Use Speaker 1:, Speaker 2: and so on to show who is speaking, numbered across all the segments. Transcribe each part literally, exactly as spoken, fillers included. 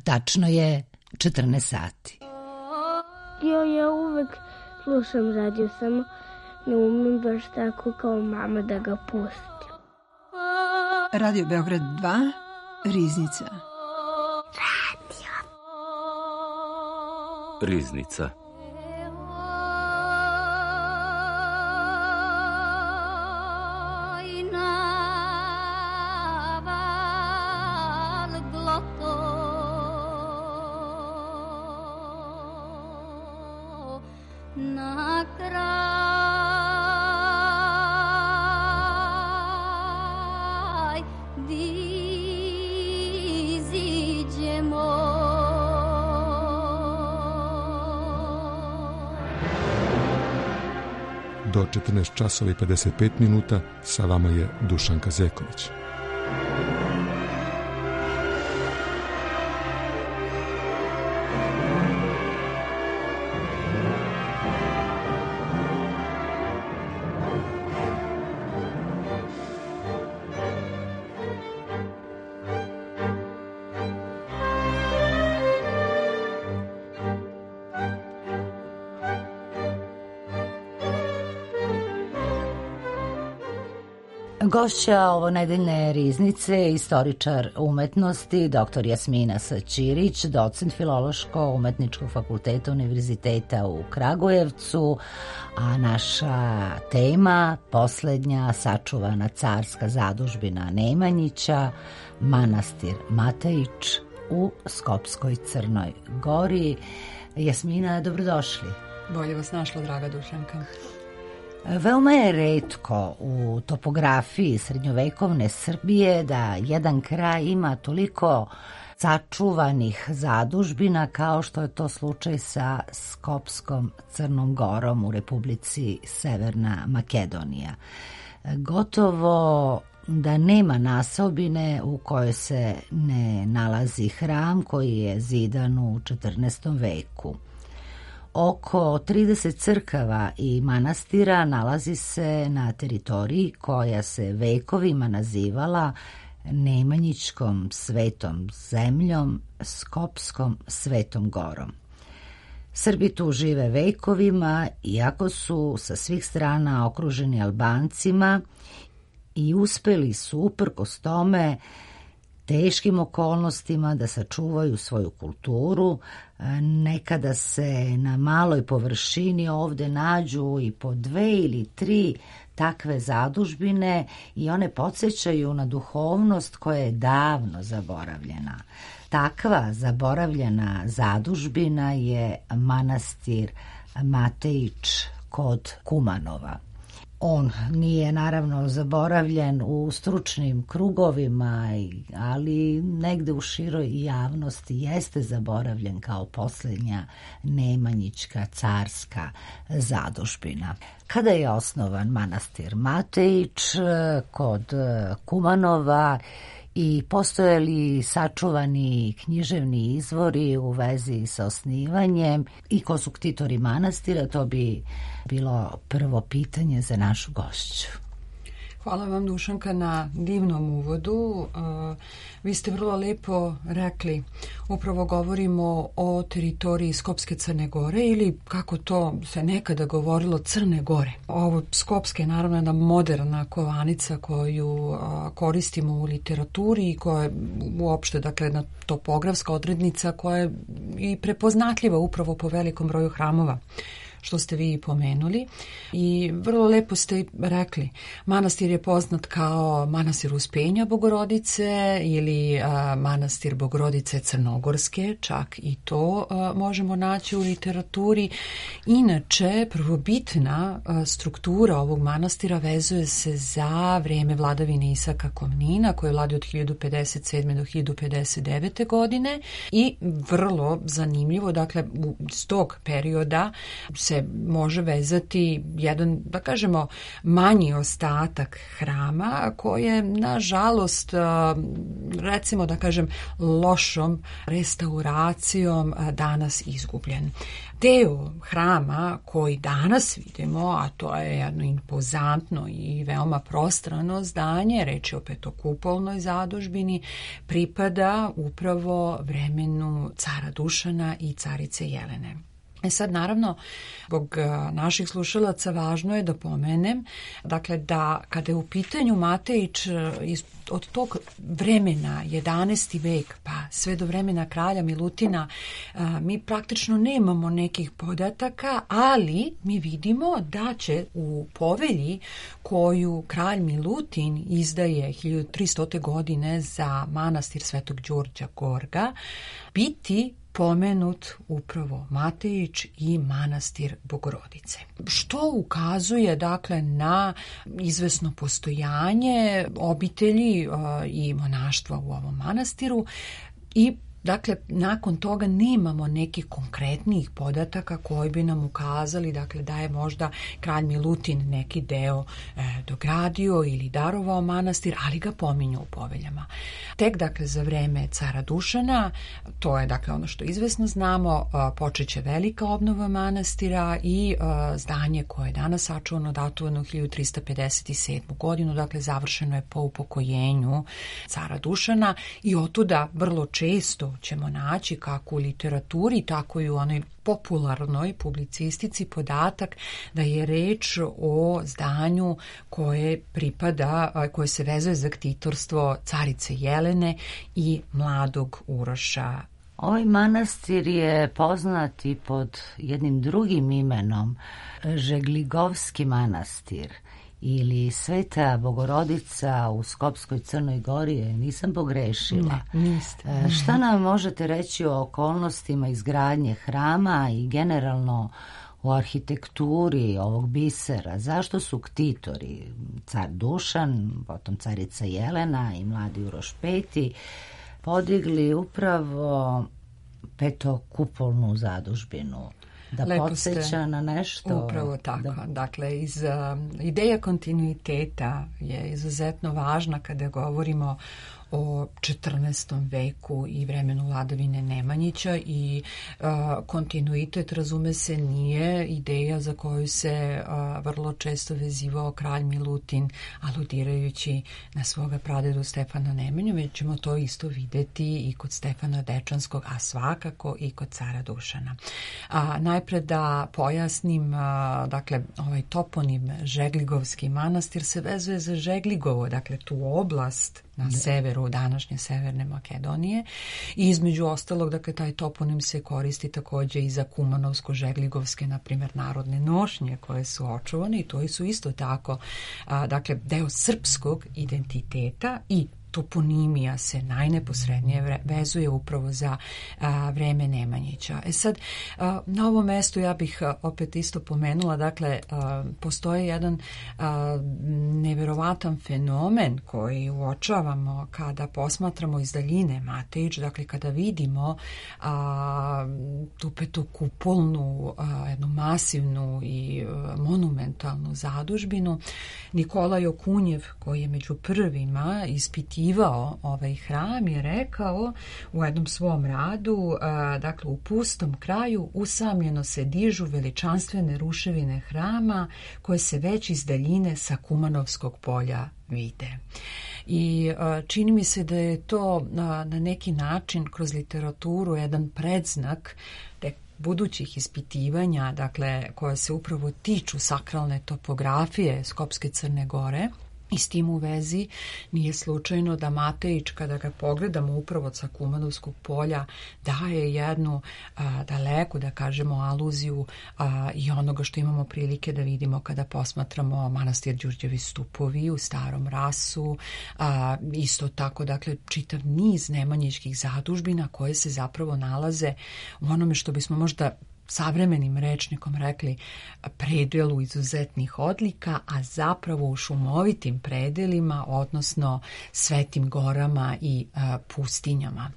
Speaker 1: Tačno je četrnaest sati.
Speaker 2: Jo, ja uvek slušam radio, samo ne umem baš tako kao mama da ga pustim.
Speaker 3: Radio Beograd dva, Riznica.
Speaker 2: Radio.
Speaker 4: Riznica.
Speaker 5: Do četrnaest časova i pedeset pet minuta sa vama je Dušanka Zeković.
Speaker 1: Gošća ovo nedeljne Riznice, istoričar umetnosti, doktor Jasmina Saćirić, docent Filološko-umetničkog fakulteta Univerziteta u Kragujevcu, a naša tema, poslednja sačuvana carska zadužbina Nemanjića, manastir Matejić u Skopskoj Crnoj Gori. Jasmina, dobrodošli.
Speaker 6: Bolje vas našla, draga Dušanka.
Speaker 1: Veoma je retko u topografiji srednjovekovne Srbije da jedan kraj ima toliko sačuvanih zadužbina kao što je to slučaj sa Skopskom Crnom Gorom u Republici Severna Makedonija. Gotovo da nema nasobine u kojoj se ne nalazi hram koji je zidan u četrnaestom veku. Oko trideset crkava i manastira nalazi se na teritoriji koja se vekovima nazivala Nemanjićkom svetom zemljom, Skopskom svetom gorom. Srbi tu žive vekovima, iako su sa svih strana okruženi Albancima i uspeli su uprkos tome teškim okolnostima da sačuvaju svoju kulturu. Nekada se na maloj površini ovde nađu i po dve ili tri takve zadužbine i one podsjećaju na duhovnost koja je davno zaboravljena. Takva zaboravljena zadužbina je manastir Matejić kod Kumanova. On nije naravno zaboravljen u stručnim krugovima, ali negde u široj javnosti jeste zaboravljen kao posljednja nemanjićka carska zadužbina. Kada je osnovan manastir Matejić kod Kumanova i postoje li sačuvani književni izvori u vezi sa osnivanjem i ko su ktitori manastira, to bi bilo prvo pitanje za našu gošću.
Speaker 6: Hvala vam, Dušanka, na divnom uvodu. Uh, vi ste vrlo lepo rekli, upravo govorimo o teritoriji Skopske Crne Gore ili kako to se nekada govorilo Crne Gore. Ovo Skopske je naravno jedna moderna kovanica koju uh, koristimo u literaturi i koja je uopšte, dakle, jedna topografska odrednica koja je i prepoznatljiva upravo po velikom broju hramova, što ste vi pomenuli. I vrlo lepo ste rekli, manastir je poznat kao manastir Uspenja Bogorodice ili a, manastir Bogorodice Crnogorske, čak i to a, možemo naći u literaturi. Inače, prvobitna a, struktura ovog manastira vezuje se za vreme vladavine Isaka Komnina, koji je vladio od hiljadu pedeset sedme do hiljadu pedeset devete godine i vrlo zanimljivo, dakle, iz tog perioda se se može vezati jedan, da kažemo, manji ostatak hrama koje, nažalost, recimo da kažem, lošom restauracijom danas izgubljen. Deo hrama koji danas vidimo, a to je jedno impozantno i veoma prostrano zdanje, reč je o petokupolnoj zadužbini, pripada upravo vremenu cara Dušana i carice Jelene. E sad, naravno, zbog naših slušalaca važno je da pomenem, dakle, da kada je u pitanju Matejić od tog vremena, jedanaesti vek, pa sve do vremena kralja Milutina, mi praktično nemamo nekih podataka, ali mi vidimo da će u povelji koju kralj Milutin izdaje hiljadu tristote godine za manastir Svetog Đurđa Gorga biti pomenut upravo Matejić i manastir Bogorodice. Što ukazuje, dakle, na izvesno postojanje obitelji uh, i monaštva u ovom manastiru i dakle, nakon toga nemamo nekih konkretnijih podataka koji bi nam ukazali, dakle, da je možda kralj Milutin neki deo e, dogradio ili darovao manastir, ali ga pominju u poveljama. Tek, dakle, za vreme cara Dušana, to je, dakle, ono što izvesno znamo, počeće velika obnova manastira i e, zdanje koje je danas sačuvano, datovano u hiljadu trista pedeset sedmu godinu, dakle, završeno je po upokojenju cara Dušana i otuda vrlo često ćemo naći kako u literaturi, tako i u onoj popularnoj publicistici podatak da je reč o zdanju koje pripada, koje se vezuje za ktitorstvo carice Jelene i mladog Uroša.
Speaker 1: Ovaj manastir je poznat i pod jednim drugim imenom, Žegligovski manastir ili Sveta Bogorodica u Skopskoj Crnoj Gori, nisam pogrešila.
Speaker 6: Ne, niste.
Speaker 1: E, šta nam možete reći o okolnostima izgradnje hrama i generalno o arhitekturi ovog bisera? Zašto su ktitori, car Dušan, potom carica Jelena i mladi Uroš peti, podigli upravo petokupolnu zadužbinu? Da
Speaker 6: Lepo
Speaker 1: podsjeća
Speaker 6: ste,
Speaker 1: na nešto.
Speaker 6: Upravo tako.
Speaker 1: Da.
Speaker 6: Dakle, iz, uh, ideja kontinuiteta je izuzetno važna kada govorimo o četrnaestom veku i vremenu vladavine Nemanjića i uh, kontinuitet, razume se, nije ideja za koju se uh, vrlo često vezivao kralj Milutin, aludirajući na svoga pradedu Stefana Nemanju, već ćemo to isto videti i kod Stefana Dečanskog, a svakako i kod cara Dušana. A, najpre da pojasnim, a, dakle, ovaj toponim Žegligovski manastir se vezuje za Žegligovo, dakle, tu oblast na severu današnje Severne Makedonije i između ostalog, dakle, taj toponim se koristi takođe i za kumanovsko-žegligovske, na primjer, narodne nošnje koje su očuvane i to su isto tako, a, dakle, deo srpskog identiteta i toponimija se najneposrednije vezuje upravo za a, vreme Nemanjića. E sad, a, na ovom mestu ja bih a, opet isto pomenula, dakle, a, postoji jedan a, neverovatan fenomen koji uočavamo kada posmatramo iz daljine Matejić, dakle, kada vidimo a, tu petokupolnu, a, jednu masivnu i a, monumentalnu zadužbinu. Nikolaj Okunjev, koji je među prvima ispitivao ovaj hram, je rekao u jednom svom radu, a, dakle, u pustom kraju usamljeno se dižu veličanstvene ruševine hrama koje se već iz daljine sa Kumanovskog polja vide. I a, čini mi se da je to a, na neki način kroz literaturu jedan predznak te budućih ispitivanja, dakle, koje se upravo tiču sakralne topografije Skopske Crne Gore. I s tim u vezi nije slučajno da Matejić, kada ga pogledamo upravo sa Kumanovskog polja, daje jednu a, daleku, da kažemo, aluziju a, i onoga što imamo prilike da vidimo kada posmatramo manastir Đurđevi stupovi u Starom Rasu, a, isto tako, dakle, čitav niz nemanjićkih zadužbina koje se zapravo nalaze u onome što bismo možda savremenim rečnikom rekli predelu izuzetnih odlika, a zapravo u šumovitim predelima, odnosno svetim gorama i a, pustinjama.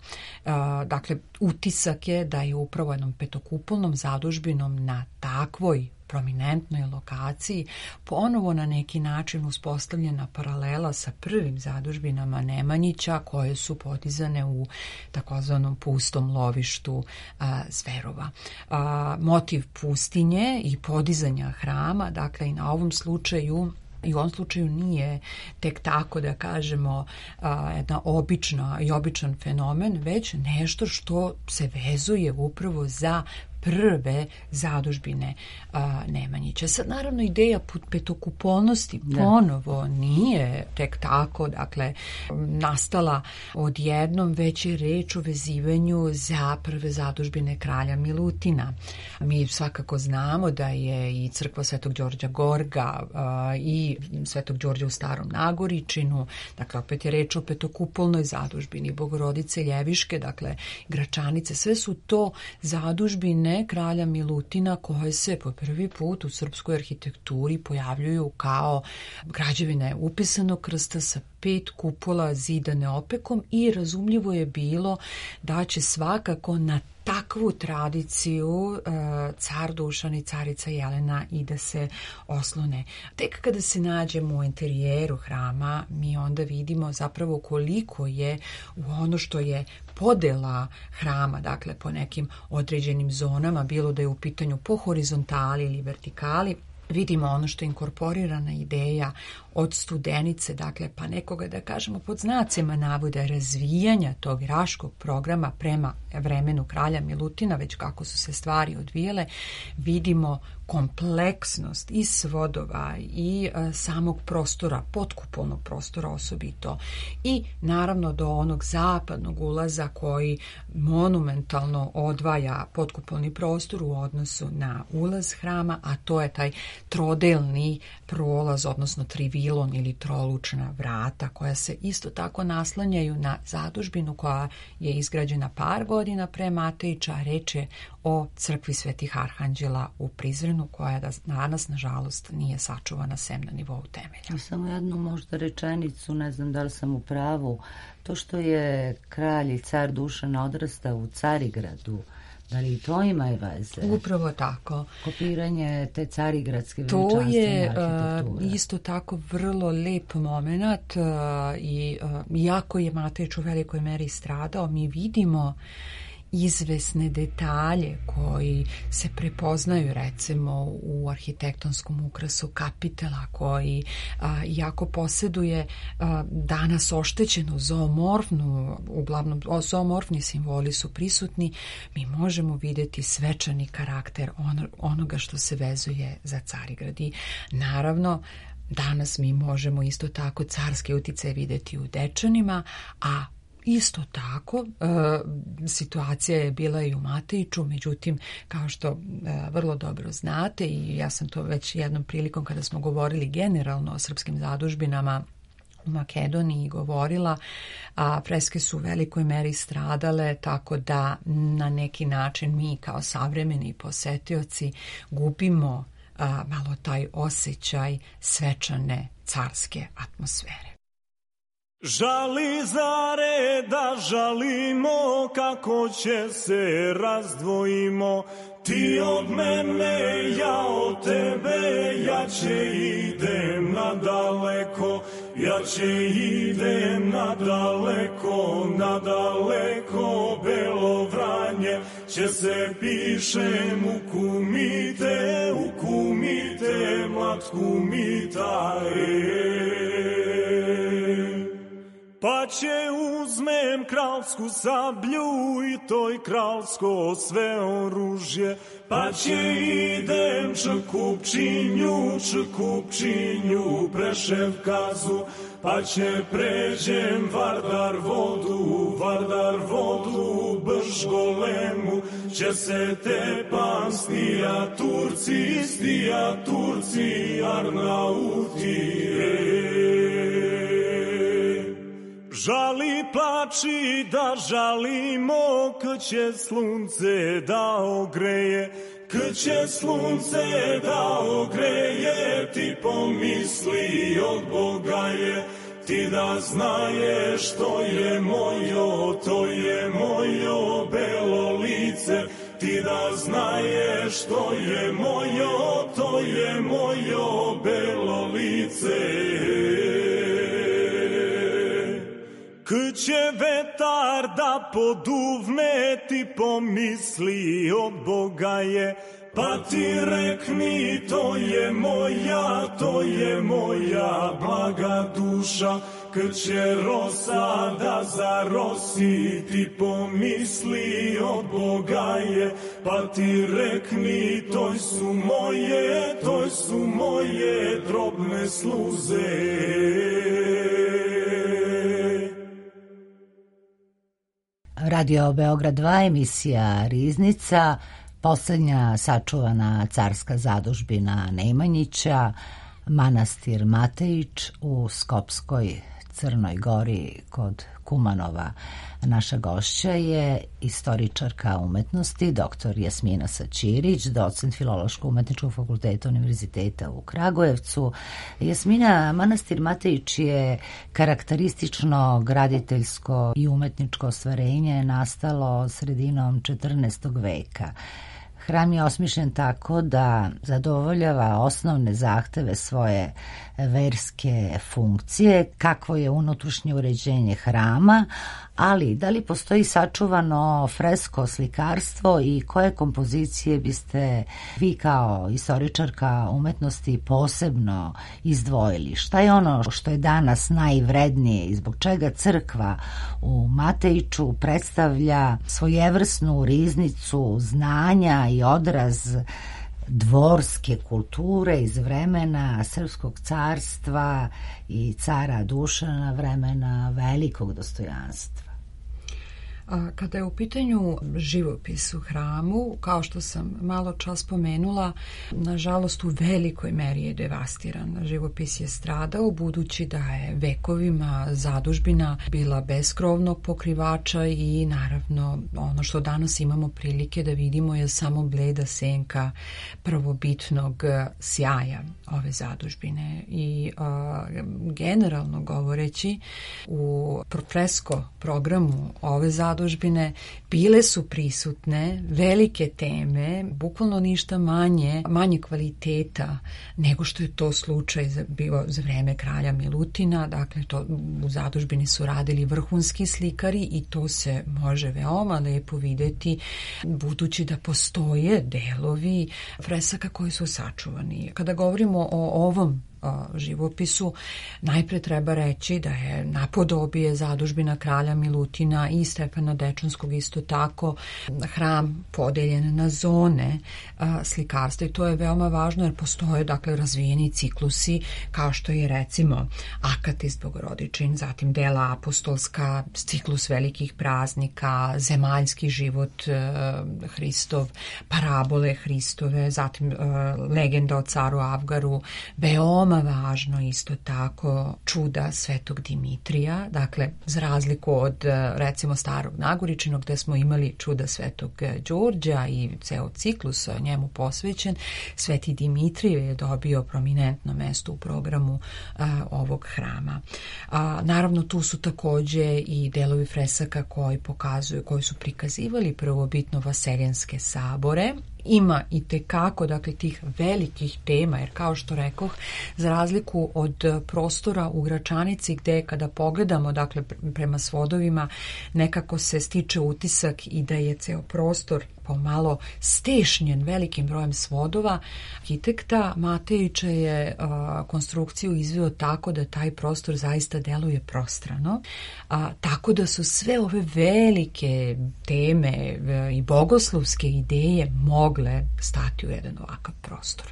Speaker 6: A, dakle, utisak je da je upravo jednom petokupolnom zadužbinom na takvoj prominentnoj lokaciji, ponovo na neki način uspostavljena paralela sa prvim zadužbinama Nemanjića koje su podizane u takozvanom pustom lovištu a, Zverova. A, motiv pustinje i podizanja hrama, dakle i na ovom slučaju i u ovom slučaju nije tek tako da kažemo a, jedna obična i običan fenomen, već nešto što se vezuje upravo za prve zadužbine a, Nemanjića. Sad, naravno, ideja petokupolnosti ponovo nije tek tako, dakle, nastala odjednom, već je reč o vezivanju za prve zadužbine kralja Milutina. Mi svakako znamo da je i crkva Svetog Đorđa Gorga a, i Svetog Đorđa u Starom Nagoričinu, dakle, opet je reč o petokupolnoj zadužbini, Bogorodice Ljeviške, dakle, Gračanice, sve su to zadužbine kralja Milutina koje se po prvi put u srpskoj arhitekturi pojavljuju kao građevine upisanog krsta sa pet kupola zidane opekom i razumljivo je bilo da će svakako na takvu tradiciju e, car Dušan i carica Jelena i da se oslone. Tek kada se nađemo u interijeru hrama, mi onda vidimo zapravo koliko je u ono što je podela hrama, dakle po nekim određenim zonama, bilo da je u pitanju po horizontali ili vertikali, vidimo ono što je inkorporirana ideja od Studenice, dakle, pa nekoga, da kažemo, pod znacima navoda razvijanja tog raškog programa prema vremenu kralja Milutina, već kako su se stvari odvijele, vidimo kompleksnost i svodova i e, samog prostora, potkupolnog prostora osobito, i naravno do onog zapadnog ulaza koji monumentalno odvaja potkupolni prostor u odnosu na ulaz hrama, a to je taj trodelni prolaz, odnosno trivilon ili trolučna vrata, koja se isto tako naslanjaju na zadužbinu koja je izgrađena par godina pre Matejića, a reč je o crkvi Svetih Arhanđela u Prizrenu, koja danas, nažalost, nije sačuvana sem na nivou temelja.
Speaker 1: Samo jednu možda rečenicu, ne znam da li sam u pravu, to što je kralj i car Dušan odrastao u Carigradu, da li to ima veze?
Speaker 6: Upravo tako.
Speaker 1: Kopiranje te carigradske veličanstvene arhitekture.
Speaker 6: To je uh, isto tako vrlo lep moment uh, i uh, jako je Matejić u velikoj meri stradao. Mi vidimo izvesne detalje koji se prepoznaju recimo u arhitektonskom ukrasu kapitela, koji a, jako posjeduje a, danas oštećenu zoomorfnu, uglavnom zoomorfni simboli su prisutni. Mi možemo vidjeti svečani karakter on, onoga što se vezuje za Carigrad. I naravno danas mi možemo isto tako carski uticaj vidjeti u Dečanima, a isto tako, e, situacija je bila i u Matejiću, međutim, kao što e, vrlo dobro znate, i ja sam to već jednom prilikom kada smo govorili generalno o srpskim zadužbinama u Makedoniji govorila, a freske su u velikoj meri stradale, tako da na neki način mi kao savremeni posetioci gubimo a, malo taj osjećaj svečane carske atmosfere.
Speaker 4: Žali zare da žalimo, kako će se razdvojimo, ti od mene, ja od tebe, ja će idem nadaleko, ja će idem nadaleko, nadaleko, Belo Vranje, će se pišem u kumite, u kumite, mlad kumita, pa će uzmem kralsku sablju i toj kralsko sve oružje, pa će idem Čkupčinju, Čkupčinju, Preševkazu, pa će pređem Vardar vodu, Vardar vodu, Bržgolemu, će se tepam stija Turci, stija Turci, Arnauti, žali plači da žalimo, k će slunce da ogreje, k će slunce da ogreje, ti pomisli od Boga je, ti da znaješ to je mojo, to je mojo belo lice, ti da znaješ, to je mojo, to je mojo belo lice. Kad će vetar da poduvne, ti pomisli od Boga je, pa ti rekni, to je moja, to je moja blaga duša. Kad će rosa da zarosi, ti pomisli od Boga je, pa ti rekni, to su moje, to su moje drobne sluze.
Speaker 1: Radio Beograd dva, emisija Riznica, poslednja sačuvana carska zadužbina Nemanjića, manastir Matejić u Skopskoj Crnoj Gori kod Kumanova. Naša gošća je istoričarka umetnosti, doktor Jasmina Saćirić, docent Filološko-umetničkog fakulteta Univerziteta u Kragujevcu. Jasmina, manastir Matejić je karakteristično graditeljsko i umetničko ostvarenje nastalo sredinom četrnaestog veka. Hram je osmišljen tako da zadovoljava osnovne zahteve svoje verske funkcije, kakvo je unutrašnje uređenje hrama, ali da li postoji sačuvano fresko slikarstvo i koje kompozicije biste vi kao istoričarka umetnosti posebno izdvojili? Šta je ono što je danas najvrednije i zbog čega crkva u Matejiću predstavlja svojevrsnu riznicu znanja i odraz dvorske kulture iz vremena Srpskog carstva i cara Dušana, vremena velikog dostojanstva?
Speaker 6: Kada je u pitanju živopis u hramu, kao što sam malo čas spomenula, nažalost u velikoj meri je devastiran. Živopis je stradao budući da je vekovima zadužbina bila bez krovnog pokrivača i naravno ono što danas imamo prilike da vidimo je samo bleda senka prvobitnog sjaja ove zadužbine. I a, generalno govoreći u fresko programu ove zadužbine zadužbine bile su prisutne velike teme, bukvalno ništa manje, manje kvaliteta nego što je to slučaj za, bio za vreme kralja Milutina. Dakle, to, u zadužbini su radili vrhunski slikari i to se može veoma lepo videti budući da postoje delovi fresaka koji su sačuvani. Kada govorimo o ovom živopisu, najpre treba reći da je napodobije zadužbina kralja Milutina i Stefana Dečanskog isto tako hram podeljen na zone a, slikarstva i to je veoma važno jer postoje dakle razvijeni ciklusi kao što je recimo Akatis Bogorodičin, zatim dela apostolska, ciklus velikih praznika, zemaljski život a, Hristov, parabole Hristove, zatim a, legenda o caru Avgaru, veoma važno isto tako čuda Svetog Dimitrija, dakle za razliku od recimo Starog Nagoričinog gde smo imali čuda Svetog Đorđa i ceo ciklus njemu posvećen, Sveti Dimitrije je dobio prominentno mesto u programu a, ovog hrama. A, naravno tu su takođe i delovi fresaka koji pokazuju, koji su prikazivali prvobitno vaseljenske sabore. Ima i tekako, dakle, tih velikih tema, jer kao što rekoh, za razliku od prostora u Gračanici gde kada pogledamo, dakle, prema svodovima, nekako se stiče utisak i da je ceo prostor pomalo stešnjen velikim brojem svodova, arhitekta Matejića je a, konstrukciju izveo tako da taj prostor zaista deluje prostrano, a, tako da su sve ove velike teme a, i bogoslovske ideje mogle stati u jedan ovakav prostor.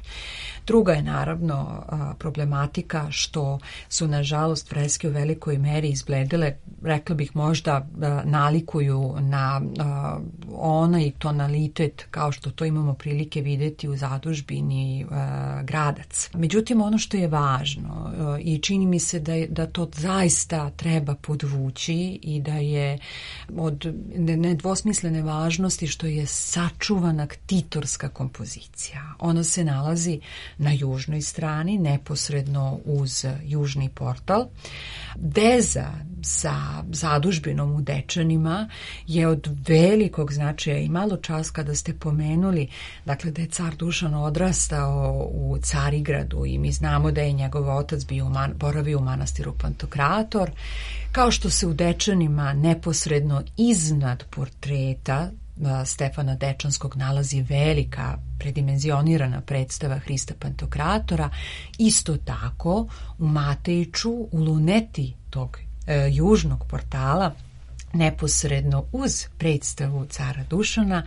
Speaker 6: Druga je naravno a, problematika što su nažalost freske u velikoj meri izbledele, rekla bih možda a, nalikuju na a, onaj tonalitet kao što to imamo prilike videti u zadužbini a, Gradac. Međutim, ono što je važno a, i čini mi se da, je, da to zaista treba podvući i da je od nedvosmislene važnosti što je sačuvana ktitorska kompozicija. Ona se nalazi na južnoj strani, neposredno uz južni portal. Veza sa sa zadužbinom u Dečanima je od velikog značaja i malo čas kada ste pomenuli, dakle, da je car Dušan odrastao u Carigradu i mi znamo da je njegov otac bio man, boravio u manastiru Pantokrator, kao što se u Dečanima neposredno iznad portreta Stefana Dečanskog nalazi velika predimenzionirana predstava Hrista Pantokratora, isto tako u Matejiću, u luneti tog e, južnog portala, neposredno uz predstavu cara Dušana,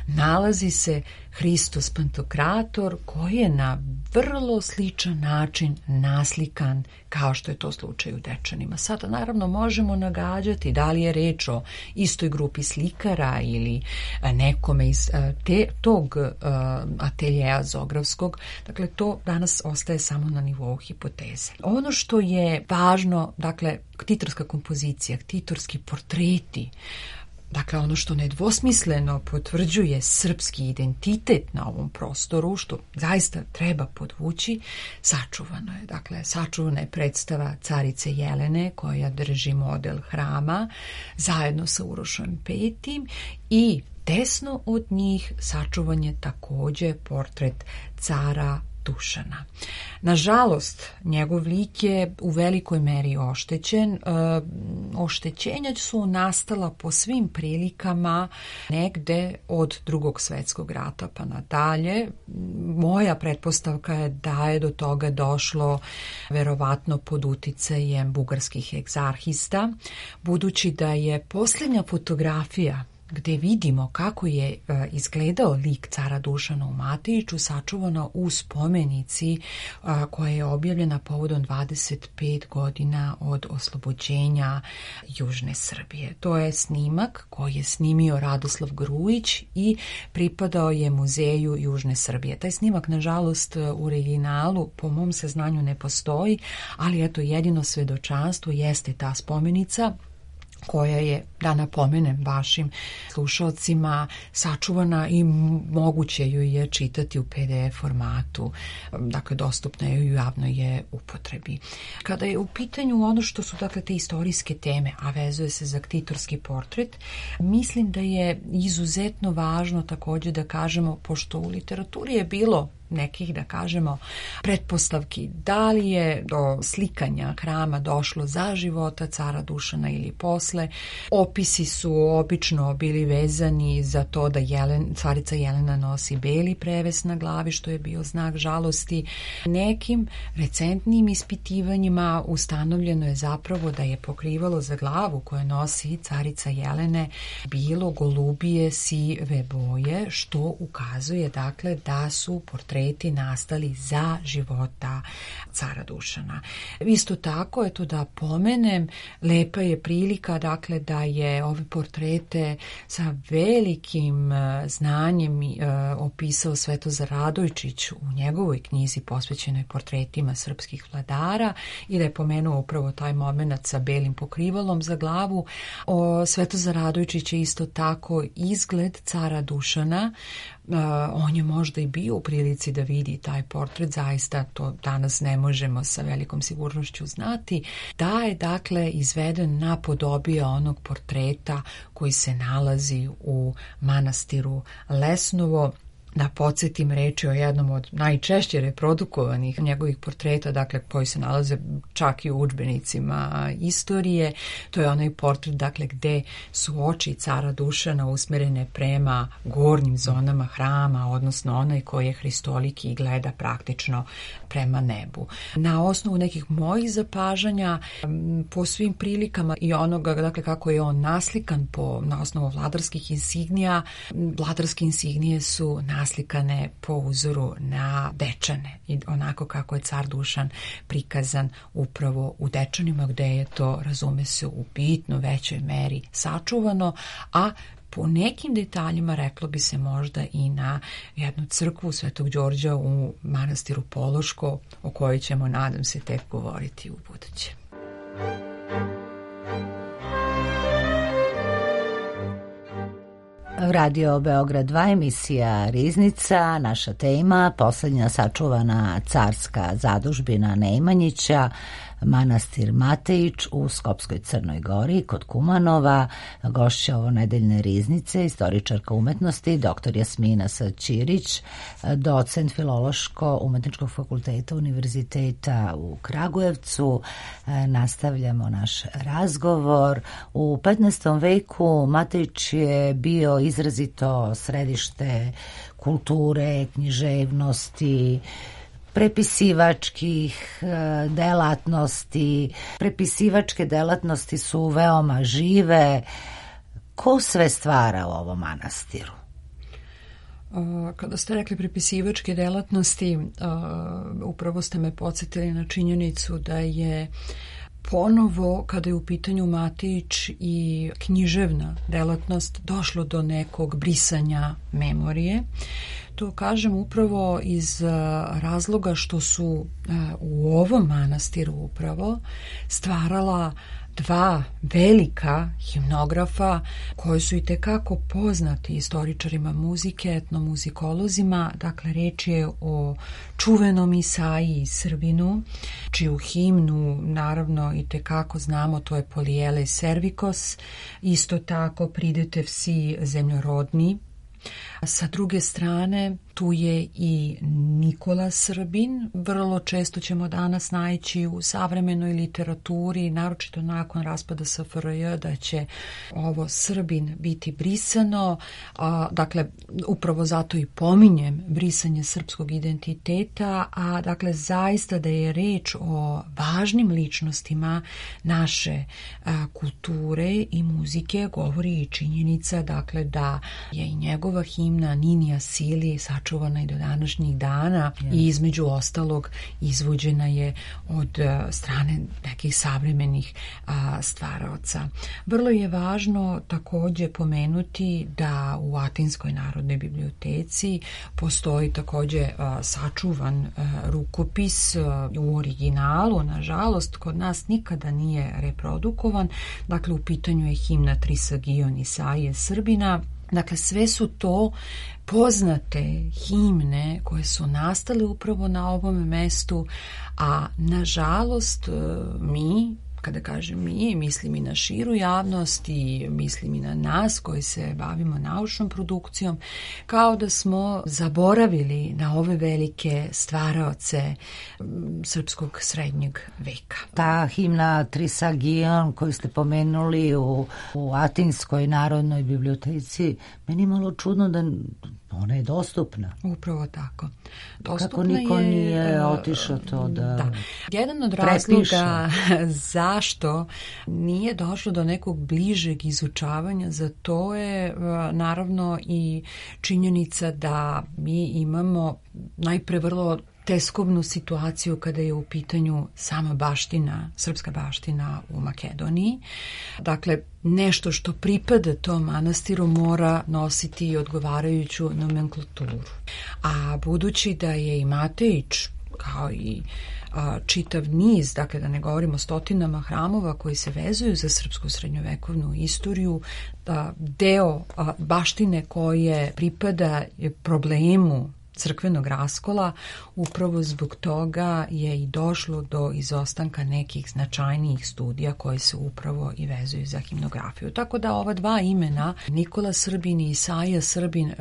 Speaker 6: nalazi se Hristos Pantokrator koji je na vrlo sličan način naslikan kao što je to slučaj u Dečanima. Sada naravno možemo nagađati da li je reč o istoj grupi slikara ili nekome iz te, tog ateljeja zografskog. Dakle, to danas ostaje samo na nivou hipoteze. Ono što je važno, dakle, ktitorska kompozicija, ktitorski portreti, dakle, ono što nedvosmisleno potvrđuje srpski identitet na ovom prostoru, što zaista treba podvući, sačuvano je. Dakle, sačuvana je predstava carice Jelene koja drži model hrama zajedno sa Urošem petim i desno od njih sačuvan je takođe portret cara Dušana. Nažalost, njegov lik je u velikoj meri oštećen. E, oštećenja su nastala po svim prilikama negde od Drugog svjetskog rata pa nadalje. Moja pretpostavka je da je do toga došlo verovatno pod uticajem bugarskih egzarhista, budući da je posljednja fotografija gde vidimo kako je e, izgledao lik cara Dušana u Matejiću, sačuvana u spomenici a, koja je objavljena povodom dvadeset pet godina od oslobođenja Južne Srbije. To je snimak koji je snimio Radoslav Grujić i pripadao je Muzeju Južne Srbije. Taj snimak, nažalost, u originalu po mom saznanju ne postoji, ali eto, jedino svedočanstvo jeste ta spomenica koja je, da napomenem vašim slušalcima, sačuvana i moguće ju je čitati u P D F formatu, dakle dostupna je u javnoj je upotrebi. Kada je u pitanju ono što su dakle te istorijske teme, a vezuje se za ktitorski portret, mislim da je izuzetno važno također da kažemo, pošto u literaturi je bilo nekih, da kažemo, pretpostavki da li je do slikanja hrama došlo za života cara Dušana ili posle. Opisi su obično bili vezani za to da Jelen, carica Jelena nosi beli preves na glavi, što je bio znak žalosti. Nekim recentnim ispitivanjima ustanovljeno je zapravo da je pokrivalo za glavu koje nosi carica Jelene bilo golubije sive boje, što ukazuje dakle da su portreti nastali za života cara Dušana. Isto tako, eto da pomenem, lepa je prilika dakle da je ove portrete sa velikim znanjem uh, opisao Svetozar Radojčić u njegovoj knjizi posvećenoj portretima srpskih vladara i da je pomenuo upravo taj moment sa belim pokrivalom za glavu. O, Svetozar Radojčić je isto tako izgled cara Dušana. Uh, on je možda i bio u prilici da vidi taj portret, zaista to danas ne možemo sa velikom sigurnošću znati, da je dakle izveden napodobije onog portreta koji se nalazi u manastiru Lesnovo. Da podsjetim, reči o jednom od najčešće reprodukovanih njegovih portreta, dakle koji se nalaze čak i u udžbenicima istorije. To je onaj portret dakle gde su oči cara Dušana usmerene prema gornjim zonama hrama, odnosno onaj koji je hristoliki i gleda praktično prema nebu. Na osnovu nekih mojih zapažanja, po svim prilikama i onoga dakle kako je on naslikan po, na osnovu vladarskih insignija, vladarske insignije su naslikane po uzoru na Dečane i onako kako je car Dušan prikazan upravo u Dečanima, gde je to, razume se, u bitno većoj meri sačuvano, a po nekim detaljima reklo bi se možda i na jednu crkvu Svetog Đorđa u manastiru Pološko, o kojoj ćemo, nadam se, tek govoriti u buduće.
Speaker 1: Radio Beograd dva, emisija Riznica, naša tema, posljednja sačuvana carska zadužbina Nemanjića, manastir Matejić u Skopskoj Crnoj Gori kod Kumanova. Gošća ovo nedeljne riznice, istoričarka umetnosti, doktor Jasmina Saćirić, docent Filološko-umetničkog fakulteta Univerziteta u Kragujevcu. Nastavljamo naš razgovor. U petnaestom veku Matejić je bio izrazito središte kulture, književnosti, prepisivačkih delatnosti. Prepisivačke delatnosti su veoma žive. Ko sve stvara u ovom manastiru?
Speaker 6: Kada ste rekli prepisivačke delatnosti, upravo ste me podsjetili na činjenicu da je ponovo, kada je u pitanju Matejić i književna delatnost, došlo do nekog brisanja memorije. To kažem upravo iz razloga što su u ovom manastiru upravo stvarala dva velika himnografa koji su i tekako poznati istoričarima muzike, etnomuzikolozima. Dakle, reč je o čuvenom Isaiji Srbinu, čiju himnu naravno i tekako znamo, to je Polijele Servikos. Isto tako Pridete vsi zemljorodni. Sa druge strane, tu je i Nikola Srbin. Vrlo često ćemo danas naći u savremenoj literaturi, naročito nakon raspada S F R J, da će ovo Srbin biti brisano. A, dakle, upravo zato i pominjem brisanje srpskog identiteta, a dakle zaista da je reč o važnim ličnostima naše a, kulture i muzike govori i činjenica, dakle, da je i njegova himna Ninija Sili sačuvana i do današnjih dana yes. i između ostalog izvođena je od strane nekih savremenih a, stvaraoca. Vrlo je važno također pomenuti da u Atinskoj narodnoj biblioteci postoji također a, sačuvan a, rukopis a, u originalu. Nažalost, kod nas nikada nije reprodukovan. Dakle, u pitanju je himna Trisagion Isaije Srbina. Dakle, sve su to poznate himne koje su nastale upravo na ovom mestu, a nažalost mi, kada kažem mi, mislim i na širu javnost i mislim i na nas koji se bavimo naučnom produkcijom, kao da smo zaboravili na ove velike stvaraoce srpskog srednjeg veka.
Speaker 1: Ta himna Trisagion koju ste pomenuli u, u Atinskoj narodnoj biblioteci, meni je malo čudno da ona je dostupna.
Speaker 6: Upravo tako. Dostupna
Speaker 1: Kako niko
Speaker 6: je,
Speaker 1: nije otišao to da,
Speaker 6: da. Jedan od
Speaker 1: prepiše.
Speaker 6: razloga zašto nije došlo do nekog bližeg izučavanja, za to je naravno i činjenica da mi imamo najpre vrlo teskobnu situaciju kada je u pitanju sama baština, srpska baština u Makedoniji. Dakle, nešto što pripada tom manastiru mora nositi i odgovarajuću nomenklaturu. A budući da je i Matejić, kao i a, čitav niz, dakle da ne govorimo stotinama hramova koji se vezuju za srpsku srednjovekovnu istoriju, a, deo a, baštine koje pripada problemu crkvenog raskola, upravo zbog toga je i došlo do izostanka nekih značajnijih studija koje se upravo i vezuju za himnografiju. Tako da ova dva imena, Nikola Srbin i Isaija Srbin, uh,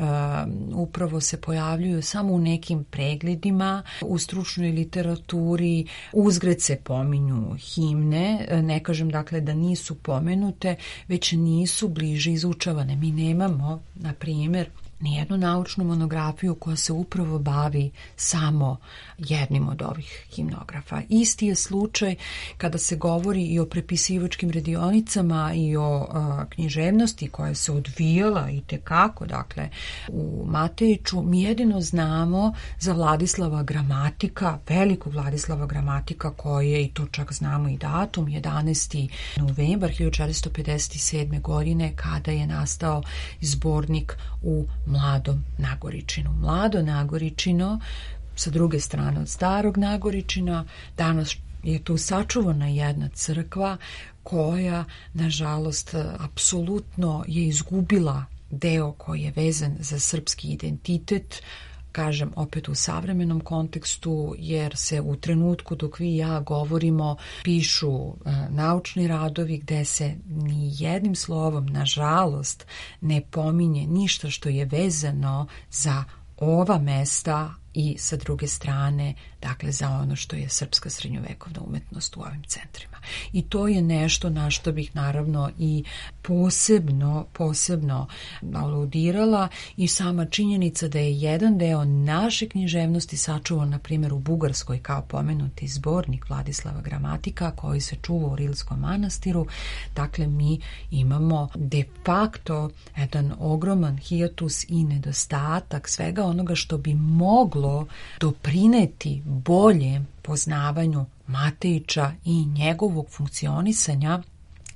Speaker 6: upravo se pojavljuju samo u nekim pregledima, u stručnoj literaturi, uzgred se pominju himne, ne kažem dakle da nisu pomenute, već nisu bliže izučavane. Mi nemamo, na primjer, nijednu naučnu monografiju koja se upravo bavi samo jednim od ovih himnografa. Isti je slučaj kada se govori i o prepisivačkim radionicama i o a, književnosti koja se odvijala i tekako, dakle, u Matejiću. Mi jedino znamo za Vladislava Gramatika, velikog Vladislava Gramatika, koje, i to čak znamo i datum, jedanaesti novembar hiljadu četiristo pedeset sedme. godine, kada je nastao zbornik u Mladom Nagoričinu. Mlado Nagoričino, sa druge strane od Starog Nagoričina, danas je tu sačuvana jedna crkva koja, nažalost, apsolutno je izgubila deo koji je vezan za srpski identitet, kažem opet u savremenom kontekstu, jer se u trenutku dok vi i ja govorimo pišu uh, naučni radovi gde se ni jednim slovom, nažalost, ne pominje ništa što je vezano za ova mesta i sa druge strane, dakle, za ono što je srpska srednjovekovna umetnost u ovim centrima. I to je nešto na što bih naravno i posebno, posebno aludirala, i sama činjenica da je jedan deo naše književnosti sačuvan, na primjer, u Bugarskoj kao pomenuti zbornik Vladislava Gramatika koji se čuva u Rilskom manastiru. Dakle, mi imamo de facto jedan ogroman hijatus i nedostatak svega onoga što bi moglo doprineti boljem poznavanju Matejića i njegovog funkcionisanja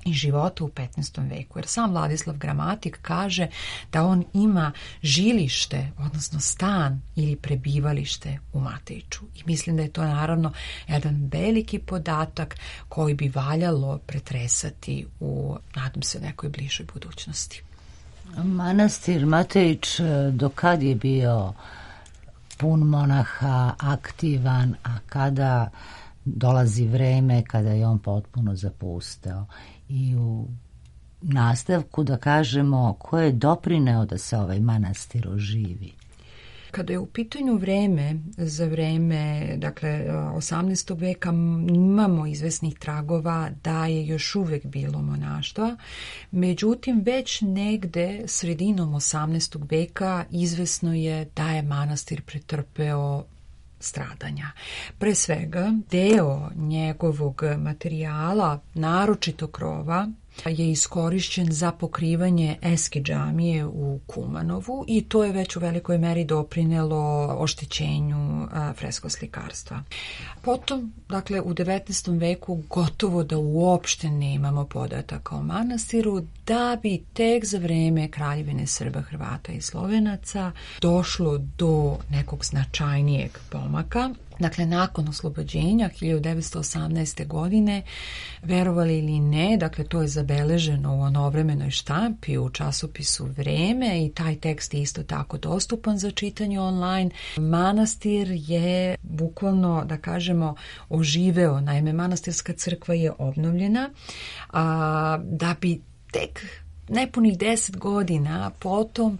Speaker 6: i života u petnaestom veku. Jer sam Vladislav Gramatik kaže da on ima žilište, odnosno stan ili prebivalište u Matejiću. I mislim da je to naravno jedan veliki podatak koji bi valjalo pretresati u, nadam se, nekoj bližoj budućnosti.
Speaker 1: Manastir Matejić do kad je bio pun monaha, aktivan, a kada dolazi vreme kada je on potpuno zapusteo? I u nastavku da kažemo ko je doprineo da se ovaj manastir oživi.
Speaker 6: Kada je u pitanju vreme, za vreme, dakle, osamnaestog veka imamo izvesnih tragova da je još uvek bilo monaštva, međutim već negde sredinom osamnaestog veka izvesno je da je manastir pretrpeo stradanja. Pre svega, deo njegovog materijala, naročito krova, je iskorišćen za pokrivanje eske džamije u Kumanovu i to je već u velikoj meri doprinelo oštećenju freskoslikarstva. Potom, dakle, u devetnaestom veku gotovo da uopšte nemamo podataka o manastiru, da bi tek za vreme Kraljevine Srba, Hrvata i Slovenaca došlo do nekog značajnijeg pomaka. Dakle, nakon oslobođenja hiljadu devetsto osamnaeste. godine, verovali ili ne, dakle, to je zabeleženo u onovremenoj štampi u časopisu Vreme i taj tekst je isto tako dostupan za čitanje online. Manastir je bukvalno, da kažemo, oživeo. Naime, manastirska crkva je obnovljena, a, da bi tek nepunih deset godina potom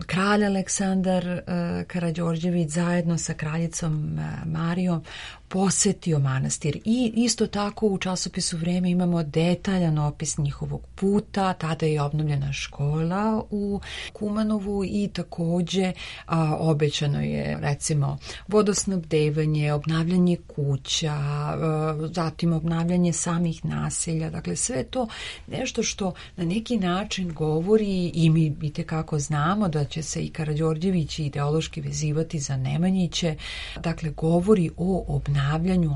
Speaker 6: kralj Aleksandar uh, Karađorđević zajedno sa kraljicom uh, Marijom posetio manastir i isto tako u časopisu Vreme imamo detaljan opis njihovog puta. Tada je obnovljena škola u Kumanovu i takođe a, obećano je recimo vodosnabdevanje, obnavljanje kuća, a, zatim obnavljanje samih naselja. Dakle, sve to nešto što na neki način govori i mi itekako znamo da će se i Karađorđević ideološki vezivati za Nemanjiće. Dakle, govori o obnavljanju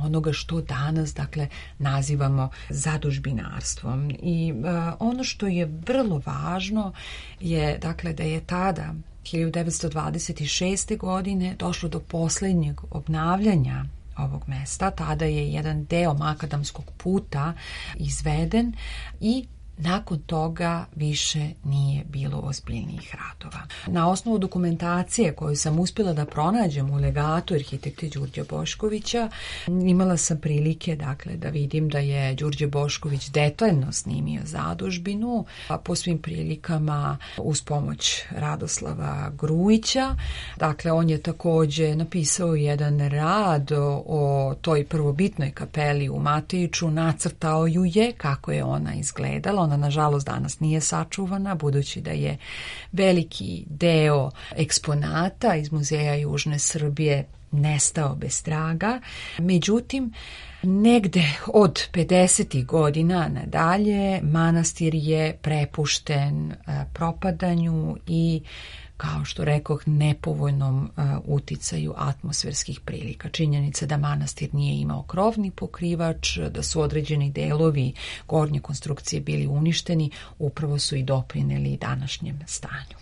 Speaker 6: onoga što danas, dakle, nazivamo zadužbinarstvom. I uh, ono što je vrlo važno je, dakle, da je tada hiljadu devetsto dvadeset šeste. godine došlo do posljednjeg obnavljanja ovog mesta. Tada je jedan deo makadamskog puta izveden i nakon toga više nije bilo ozbiljnijih radova. Na osnovu dokumentacije koju sam uspjela da pronađem u legatu arhitekte Đurđe Boškovića, imala sam prilike, dakle, da vidim da je Đurđe Bošković detaljno snimio zadužbinu, a po svim prilikama uz pomoć Radoslava Grujića. Dakle, on je takođe napisao jedan rad o, o toj prvobitnoj kapeli u Matejiću, nacrtao ju je kako je ona izgledala. Ona, nažalost, danas nije sačuvana, budući da je veliki deo eksponata iz Muzeja Južne Srbije nestao bez traga. Međutim, negde od pedesetih godina nadalje manastir je prepušten propadanju i, kao što rekoh, nepovoljnom uh, uticaju atmosferskih prilika. Činjenica da manastir nije imao krovni pokrivač, da su određeni delovi gornje konstrukcije bili uništeni, upravo su i doprineli današnjem stanju.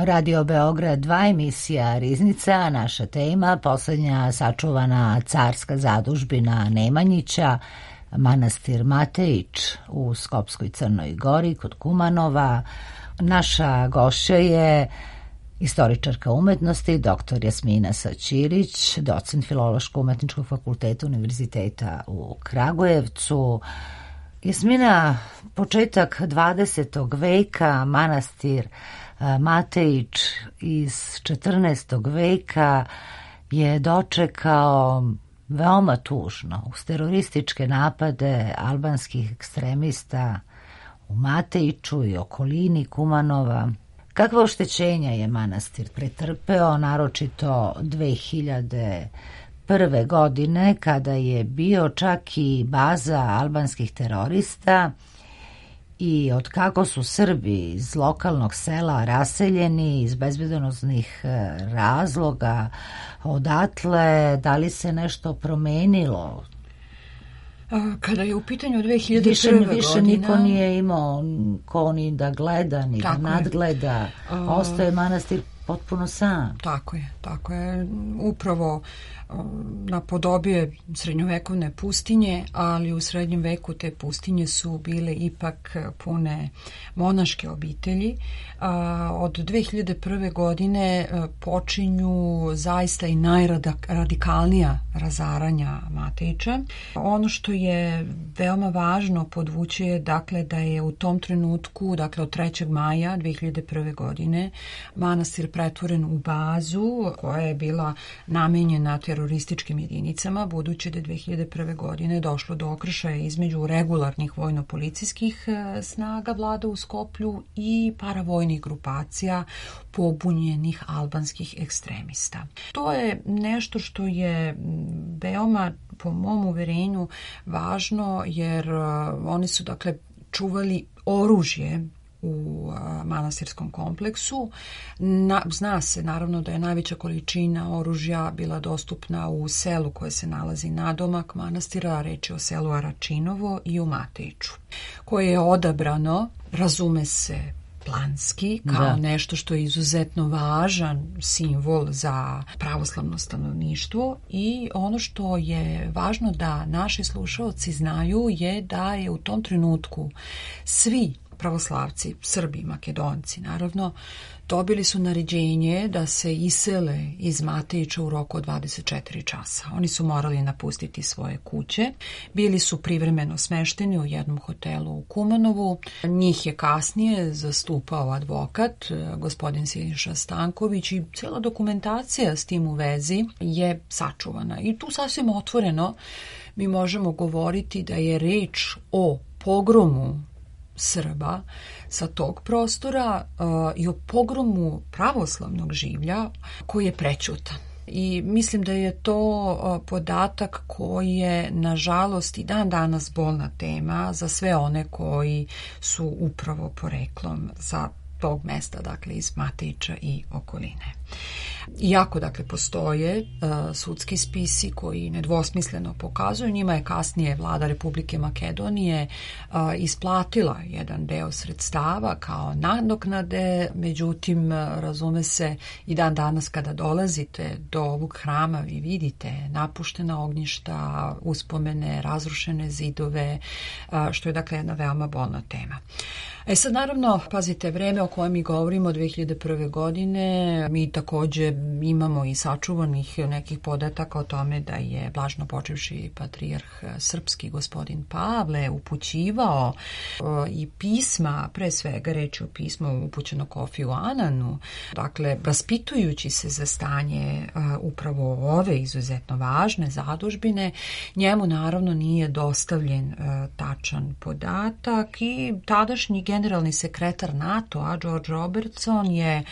Speaker 1: Radio Beograd dva, emisija Riznica, naša tema, posljednja sačuvana carska zadužbina Nemanjića, manastir Matejić u Skopskoj Crnoj Gori kod Kumanova. Naša gošća je istoričarka umetnosti, doktor Jasmina Saćirić, docent Filološko-umetničkog fakulteta Univerziteta u Kragujevcu. Jasmina, početak dvadesetog veka, manastir Matejić iz četrnaestog veka je dočekao veoma tužno uz terorističke napade albanskih ekstremista u Matejiću i okolini Kumanova. Kakva oštećenja je manastir pretrpeo, naročito dve hiljade prve. godine, kada je bio čak i baza albanskih terorista, i od kako su Srbi iz lokalnog sela raseljeni iz bezbednosnih razloga odatle, da li se nešto promenilo?
Speaker 6: Kada je u pitanju dve hiljade prve.
Speaker 1: Više,
Speaker 6: godina...
Speaker 1: Više niko nije imao ko ni da gleda, ni da nadgleda. Je. Ostaje manastir potpuno sam.
Speaker 6: Tako je, tako je. Upravo napodobije srednjovekovne pustinje, ali u srednjem veku te pustinje su bile ipak pune monaške obitelji. Od dve hiljade prve. godine počinju zaista i najradikalnija razaranja Matejića. Ono što je veoma važno podvući je dakle da je u tom trenutku, dakle od trećeg maja dve hiljade prve. godine, manastir pretvoren u bazu koja je bila namenjena terorističkim jedinicama, budući da je dve hiljade prve. godine došlo do okršaja između regularnih vojno-policijskih snaga vlada u Skoplju i paravojnih grupacija pobunjenih albanskih ekstremista. To je nešto što je veoma, po mom uverenju, važno, jer oni su dakle čuvali oružje u manastirskom kompleksu. Na, zna se naravno da je najveća količina oružja bila dostupna u selu koje se nalazi nadomak manastira, reč je o selu Aračinovo i u Matejiću, koje je odabrano, razume se, planski, kao da. nešto što je izuzetno važan simbol za pravoslavno stanovništvo, i ono što je važno da naši slušaoci znaju je da je u tom trenutku svi pravoslavci, Srbi, Makedonci, naravno, dobili su naređenje da se isele iz Matejića u roku od dvadeset četiri časa. Oni su morali napustiti svoje kuće. Bili su privremeno smešteni u jednom hotelu u Kumanovu. Njih je kasnije zastupao advokat, gospodin Siniša Stanković, i cijela dokumentacija s tim u vezi je sačuvana. I tu sasvim otvoreno mi možemo govoriti da je reč o pogromu Srba sa tog prostora uh, i o pogromu pravoslavnog življa koji je prećutan. I mislim da je to uh, podatak koji je, nažalost, i dan danas bolna tema za sve one koji su upravo poreklom sa tog mesta, dakle iz Matejića i okoline. Iako, dakle, postoje uh, sudski spisi koji nedvosmisleno pokazuju, njima je kasnije vlada Republike Makedonije uh, isplatila jedan deo sredstava kao nadoknade, međutim, razume se, i dan danas kada dolazite do ovog hrama vi vidite napuštena ognjišta, uspomene, razrušene zidove, uh, što je, dakle, jedna veoma bolna tema. E sad, naravno, pazite, vreme o kojem mi govorimo, dve hiljade prve. godine, mi također imamo i sačuvanih nekih podataka o tome da je blažno počivši patrijarh srpski gospodin Pavle upućivao o, i pisma, pre svega reći o pismu upućeno Kofiju Ananu, dakle, raspitujući se za stanje a, upravo ove izuzetno važne zadužbine. Njemu naravno nije dostavljen a, tačan podatak i tadašnji generalni sekretar NATO-a George Robertson je,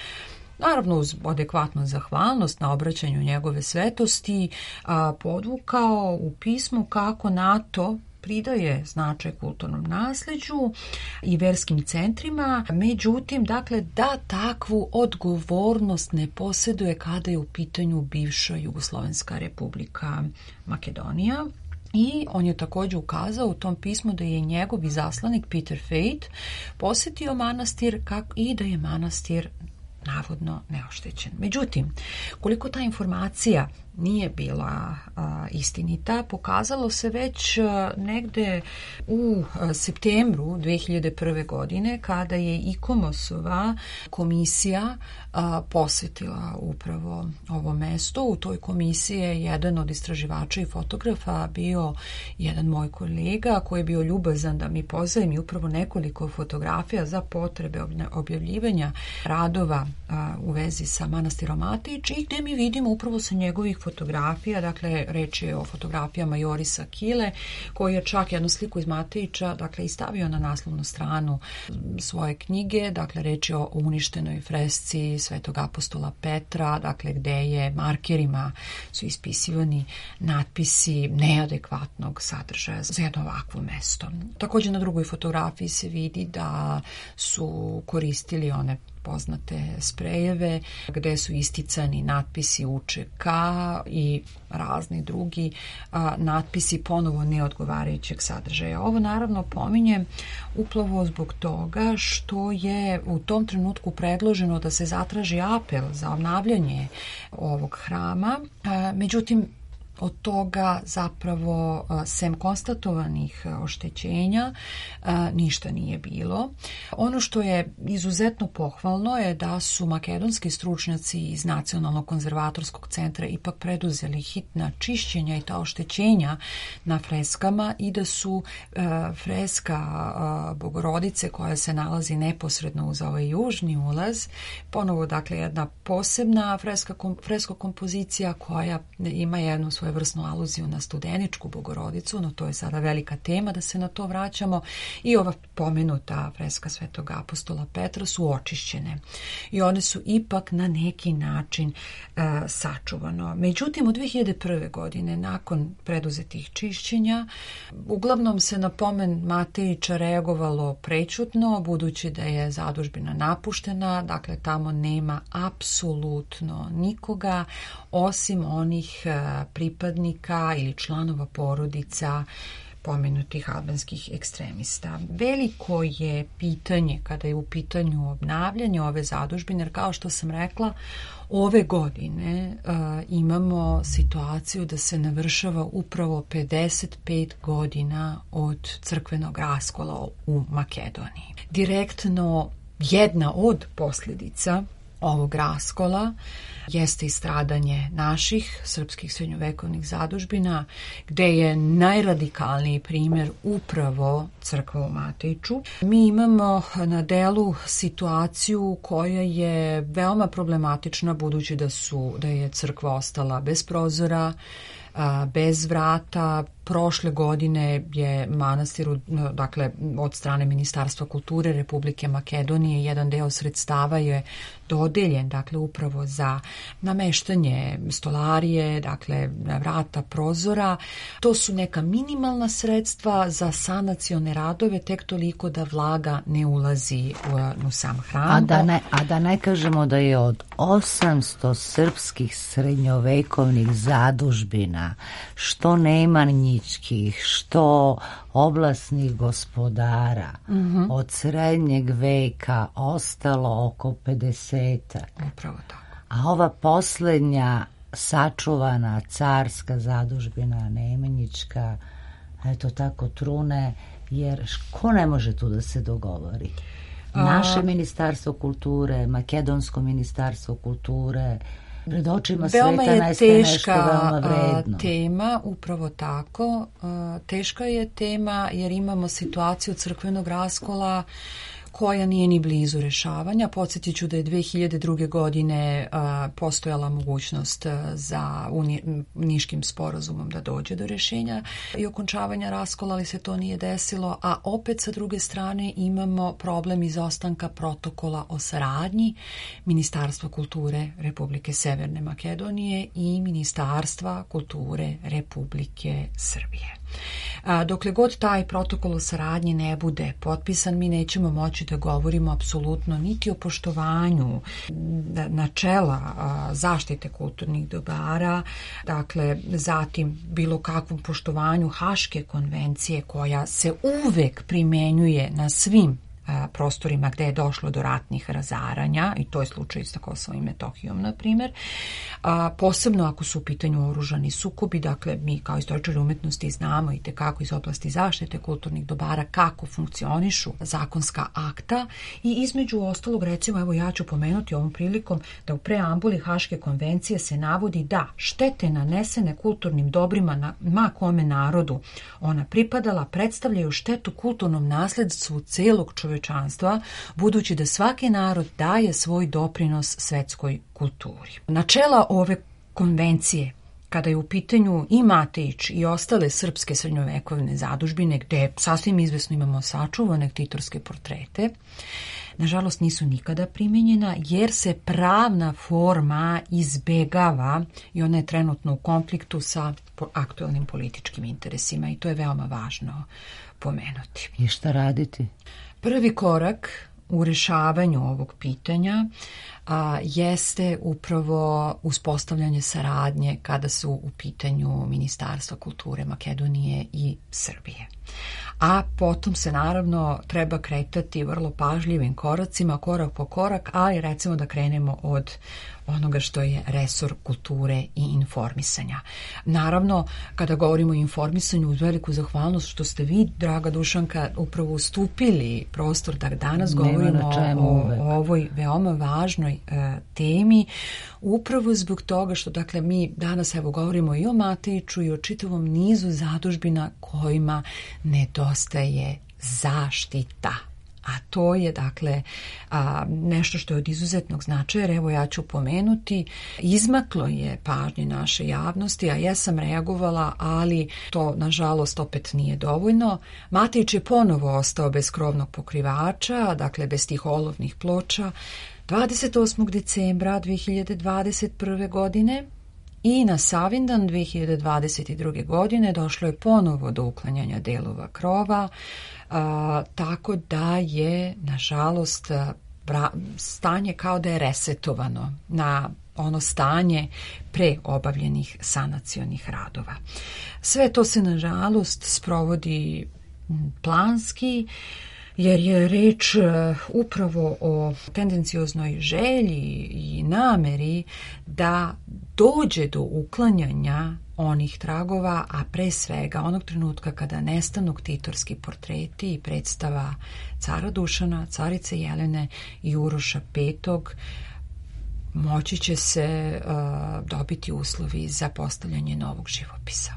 Speaker 6: naravno uz adekvatnu zahvalnost na obraćanju njegove svetosti, a, podvukao u pismu kako NATO pridaje značaj kulturnom nasleđu i verskim centrima, međutim, dakle, da takvu odgovornost ne posjeduje kada je u pitanju bivša Jugoslovenska republika Makedonija. I on je također ukazao u tom pismu da je njegov izaslanik Peter Fate posjetio manastir i da je manastir navodno neoštećen. Međutim, koliko ta informacija nije bila a, istinita, pokazalo se već a, negde u a, septembru dve hiljade prve. godine, kada je ICOMOS-ova komisija a, posjetila upravo ovo mesto. U toj komisiji je jedan od istraživača i fotografa bio jedan moj kolega koji je bio ljubazan da mi pozajmi mi upravo nekoliko fotografija za potrebe objavljivanja radova a, u vezi sa manastirom Matić i gde mi vidimo upravo sa njegovih fotografija, dakle reč je o fotografijama Jorisa Kile, koji je čak jednu sliku iz Matića, dakle, i stavio na naslovnu stranu svoje knjige, dakle reč je o uništenoj fresci Svetog apostola Petra, dakle gde je markerima su ispisivani natpisi neadekvatnog sadržaja za jedno ovakvo mesto. Također na drugoj fotografiji se vidi da su koristili one poznate sprejeve gde su isticani natpisi U Č K i razni drugi a, natpisi ponovo neodgovarajućeg sadržaja. Ovo naravno pominjem upravo zbog toga što je u tom trenutku predloženo da se zatraži apel za obnavljanje ovog hrama. A, međutim, od toga zapravo sem konstatovanih oštećenja ništa nije bilo. Ono što je izuzetno pohvalno je da su makedonski stručnjaci iz Nacionalnog konzervatorskog centra ipak preduzeli hitna čišćenja i ta oštećenja na freskama i da su freska Bogorodice koja se nalazi neposredno uz ovaj južni ulaz, ponovo dakle jedna posebna freska, fresko kompozicija koja ima jednu svoju svojevrsnu aluziju na Studeničku Bogorodicu, no to je sada velika tema da se na to vraćamo, i ova pomenuta freska Svetog apostola Petra su očišćene i one su ipak na neki način uh, sačuvano. Međutim, u dve hiljade prve. godine, nakon preduzetih čišćenja, uglavnom se na pomen Matejića reagovalo prećutno, budući da je zadužbina napuštena, dakle tamo nema apsolutno nikoga osim onih uh, pripadnika ili članova porodica pomenutih albanskih ekstremista. Veliko je pitanje kada je u pitanju obnavljanje ove zadužbine, jer kao što sam rekla, ove godine uh, imamo situaciju da se navršava upravo pedeset pet godina od crkvenog raskola u Makedoniji. Direktno jedna od posljedica ovog raskola jeste i stradanje naših srpskih srednjovekovnih zadužbina, gde je najradikalniji primjer upravo crkva u Matiću. Mi imamo na delu situaciju koja je veoma problematična, budući da su da je crkva ostala bez prozora, bez vrata. Prošle godine je manastiru, dakle od strane Ministarstva kulture Republike Makedonije, jedan deo sredstava je dodeljen, dakle upravo za nameštanje stolarije, dakle vrata, prozora. To su neka minimalna sredstva za sanacione radove, tek toliko da vlaga ne ulazi u, u sam hram.
Speaker 1: A da, ne, a da ne kažemo da je od osamsto srpskih srednjovekovnih zadužbina, što nemanji što oblasnih gospodara, mm-hmm. od srednjeg veka ostalo oko pedesetak.
Speaker 6: Upravo tako.
Speaker 1: A ova posljednja sačuvana carska zadužbina Nemanjička, eto tako trune, jer ko ne može tu da se dogovori? Naše A... ministarstvo kulture, makedonsko ministarstvo kulture, pred očima
Speaker 6: veoma
Speaker 1: sveta
Speaker 6: nastaje nešto
Speaker 1: veoma vredno.
Speaker 6: Tema, upravo tako. Teška je tema jer imamo situaciju crkvenog raskola koja nije ni blizu rešavanja. Podsjetit ću da je dve hiljade druge. godine a, postojala mogućnost za uni, Niškim sporazumom da dođe do rešenja i okončavanja raskola, ali se to nije desilo, a opet sa druge strane imamo problem izostanka protokola o saradnji Ministarstva kulture Republike Severne Makedonije i Ministarstva kulture Republike Srbije. A, dokle god taj protokol o saradnji ne bude potpisan, mi nećemo moći da govorimo apsolutno niti o poštovanju načela a, zaštite kulturnih dobara, dakle zatim bilo kakvom poštovanju Haške konvencije koja se uvek primenjuje na svim a, prostorima gde je došlo do ratnih razaranja, i to je slučaj sa Kosovom i Metohijom, na primjer. A, posebno ako su u pitanju oružani sukobi, dakle mi kao istoričari umetnosti znamo i tekako iz oblasti zaštite kulturnih dobara kako funkcionišu zakonska akta, i između ostalog, recimo, evo ja ću pomenuti ovom prilikom da u preambuli Haške konvencije se navodi da štete nanesene kulturnim dobrima na ma kome narodu ona pripadala predstavljaju štetu kulturnom nasledstvu celog čovečanstva, budući da svaki narod daje svoj doprinos svetskoj kulturi. Načela ove konvencije, kada je u pitanju i Matejić i ostale srpske srednjovekovne zadužbine, gde sasvim izvesno imamo sačuvane ktitorske portrete, nažalost nisu nikada primjenjena, jer se pravna forma izbegava i ona je trenutno u konfliktu sa aktuelnim političkim interesima, i to je veoma važno pomenuti.
Speaker 1: I šta raditi?
Speaker 6: Prvi korak u rešavanju ovog pitanja a, jeste upravo uspostavljanje saradnje kada su u pitanju Ministarstva kulture Makedonije i Srbije. A potom se naravno treba kretati vrlo pažljivim koracima, korak po korak, ali recimo da krenemo od onoga što je resor kulture i informisanja. Naravno, kada govorimo o informisanju, uz veliku zahvalnost što ste vi, draga Dušanka, upravo ustupili prostor da danas govorimo o, o ovoj veoma važnoj e, temi, upravo zbog toga što, dakle, mi danas evo govorimo i o Matejiću i o čitavom nizu zadužbina kojima nedostaje zaštita. A to je, dakle, a, nešto što je od izuzetnog značaja, evo ja ću pomenuti, izmaklo je pažnje naše javnosti, a ja sam reagovala, ali to, nažalost, opet nije dovoljno. Matejić je ponovo ostao bez krovnog pokrivača, dakle, bez tih olovnih ploča, dvadeset osmog decembra dve hiljade dvadeset prve. godine, i na Savindan dve hiljade dvadeset druge. godine došlo je ponovo do uklanjanja delova krova, a, tako da je, nažalost, bra, stanje kao da je resetovano na ono stanje pre obavljenih sanacionih radova. Sve to se, nažalost, sprovodi planski, jer je reč upravo o tendencioznoj želji i nameri da dođe do uklanjanja onih tragova, a pre svega onog trenutka kada nestanu ktitorski portreti i predstava cara Dušana, carice Jelene i Uroša petog, moći će se uh, dobiti uslovi za postavljanje novog živopisa.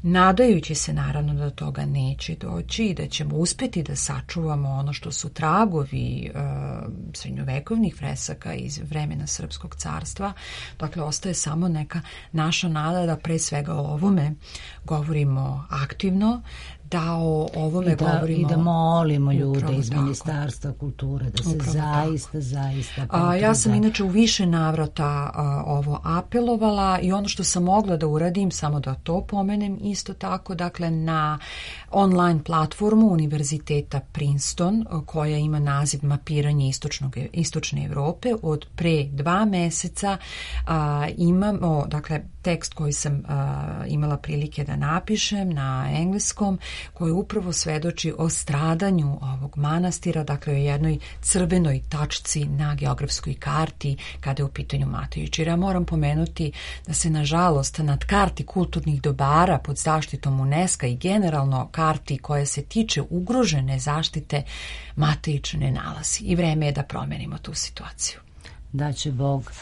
Speaker 6: Nadajući se naravno da do toga neće doći i da ćemo uspeti da sačuvamo ono što su tragovi uh, srednjovekovnih fresaka iz vremena Srpskog carstva, dakle ostaje samo neka naša nada da pre svega o ovome govorimo aktivno, da o ovome
Speaker 1: I da,
Speaker 6: govorimo...
Speaker 1: I da molimo ljude
Speaker 6: upravo
Speaker 1: iz
Speaker 6: tako.
Speaker 1: Ministarstva kulture da se
Speaker 6: Upravo
Speaker 1: zaista,
Speaker 6: tako.
Speaker 1: zaista...
Speaker 6: A, ja sam inače u više navrata a, ovo apelovala, i ono što sam mogla da uradim, samo da to pomenem isto tako, dakle na online platformu Univerziteta Princeton, koja ima naziv Mapiranje istočnog, istočne Evrope, od pre dva meseca a, imamo, dakle, tekst koji sam a, imala prilike da napišem na engleskom, koji upravo svedoči o stradanju ovog manastira, dakle o jednoj crvenoj tačci na geografskoj karti kada je u pitanju Matejić. Jer ja moram pomenuti da se, nažalost, nad karti kulturnih dobara pod zaštitom UNESCO i generalno karti koja se tiče ugrožene zaštite Matejić ne nalazi. I vreme je da promenimo tu situaciju.
Speaker 1: Da će Bog.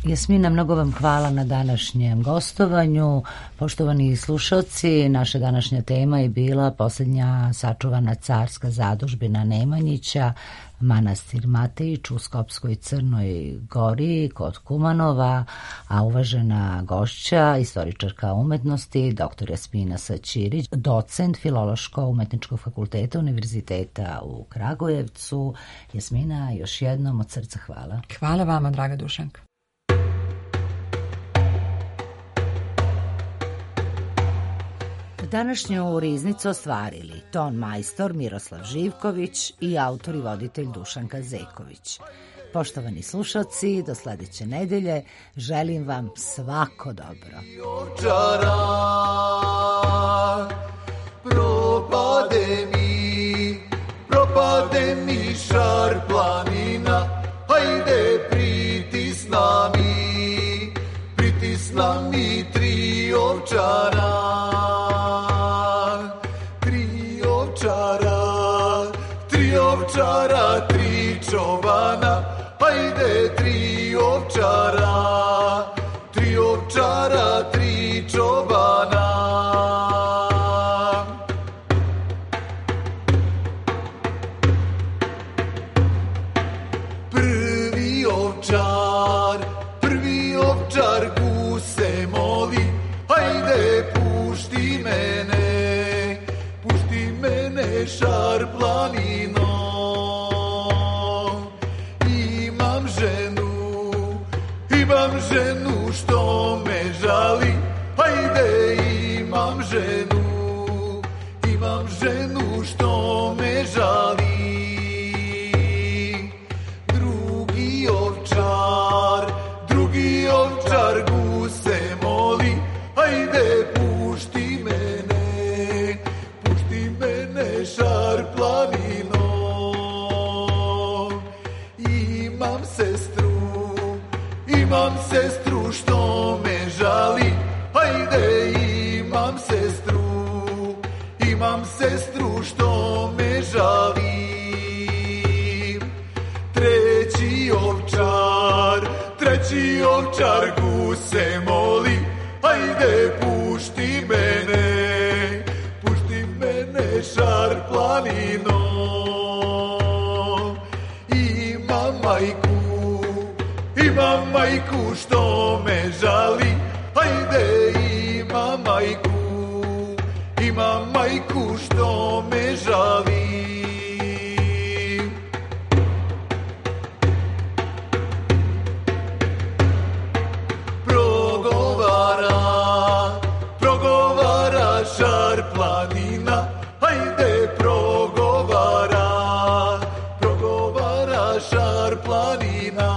Speaker 1: Jasmina, mnogo vam hvala na današnjem gostovanju. Poštovani slušalci, naša današnja tema je bila posljednja sačuvana carska zadužbina Nemanjića, manastir Matejić u Skopskoj Crnoj Gori kod Kumanova, a uvažena gošća, istoričarka umetnosti, doktor Jasmina Saćirić, docent Filološko-umetničkog fakulteta Univerziteta u Kragujevcu. Jasmina, još jednom od srca hvala.
Speaker 6: Hvala vama, draga Dušanka.
Speaker 1: Današnju riznicu ostvarili ton majstor Miroslav Živković i autor i voditelj Dušanka Zeković. Poštovani slušalci, do sledeće nedelje želim vam svako dobro.
Speaker 7: Propade mi, propade pade mi šar planina, hajde pritisna mi, pritisna mi tri ovčara, tri ovčara, tri ovčara, tri čobana, hajde tri ovčara, tri ovčara, tri čobana. Prvi ovčar, prvi ovčar guse moli, hajde pušti mene, pušti mene šar planino. Imam ženu, imam ženu što me žali, hajde imam ženu, imam ženu što me žali. Drugi ovčar, drugi ovčar guse moli, hajde pušti mene, pušti mene šar planino. Imam sestru, imam sestru što me žali, hajde imam sestru, imam sestru što me žali. Treći ovčar, treći ovčar guse moli, hajde pušti mene, pušti mene šar planino. Imam majku, imam majku što me žali, hajde imam majku, imam majku što me žali. Progovara, progovara šar planina, hajde progovara, progovara šar planina.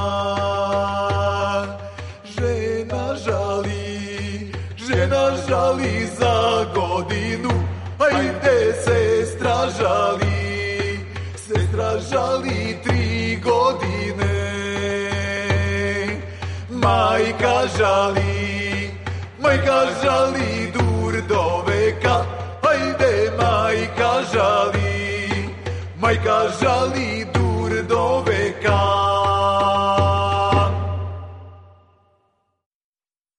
Speaker 7: Žena žali, žena žali za godinu, hajde sestra žali, sestra žali tri godine. Majka žali, majka žali dur do veka, hajde majka žali, majka žali